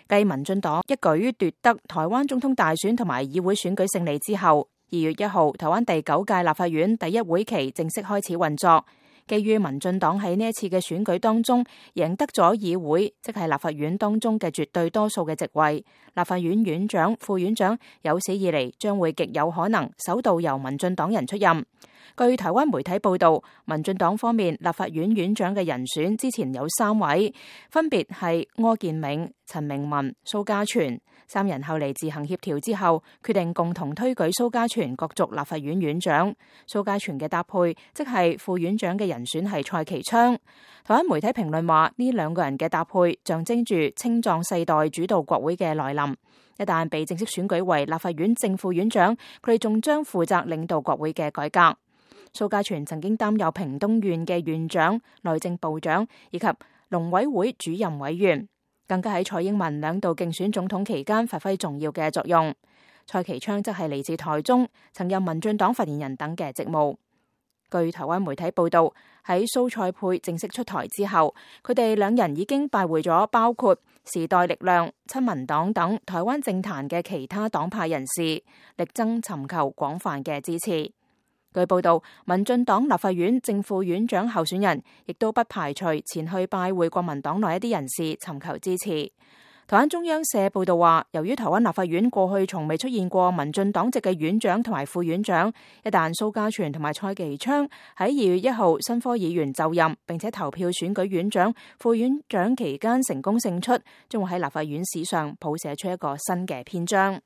繼民進黨一舉奪得台灣總統大選同埋議會選舉勝利之後，2月1號台灣第9屆立法院第一會期正式開始運作。基於民進黨喺呢一次嘅選舉當中贏得咗議會，即係立法院當中嘅絕對多數嘅席位，立法院院長、副院長有史以嚟將會極有可能首度由民進黨人出任。據台灣媒體報道，民進黨方面立法院院長嘅人選之前有3位，分別係柯建銘、陳明文、蘇嘉全。3人後嚟自行協調之後，決定共同推舉蘇嘉全角逐立法院院長。蘇嘉全嘅搭配，即係副院長嘅人選係蔡其昌。台灣媒體評論話，呢2個人嘅搭配象徵住青壯世代主導國會嘅來臨。一旦被正式選舉為立法院正副院長，佢哋仲將負責領導國會嘅改革。蘇嘉全曾經擔任屏東縣嘅縣長、內政部長以及農委會主任委員。更加喺蔡英文2度競選總統期間發揮重要嘅作用。蔡其昌則係嚟自台中，曾任民進黨發言人等嘅職務。據台灣媒體報道，喺蘇蔡配正式出台之後，佢哋2人已經拜會咗包括時代力量、親民黨等台灣政壇嘅其他黨派人士，力爭尋求廣泛嘅支持。據報道，民進黨立法院正副院長候選人亦都不排除前去拜會國民黨內一啲人士尋求支持。台灣中央社報道話，由於台灣立法院過去從未出現過民進黨籍嘅院長同埋副院長，一旦蘇嘉全同埋蔡其昌喺2月1號新科議員就任並且投票選舉院長、副院長期間成功勝出，將會喺立法院史上譜寫出一個新嘅篇章。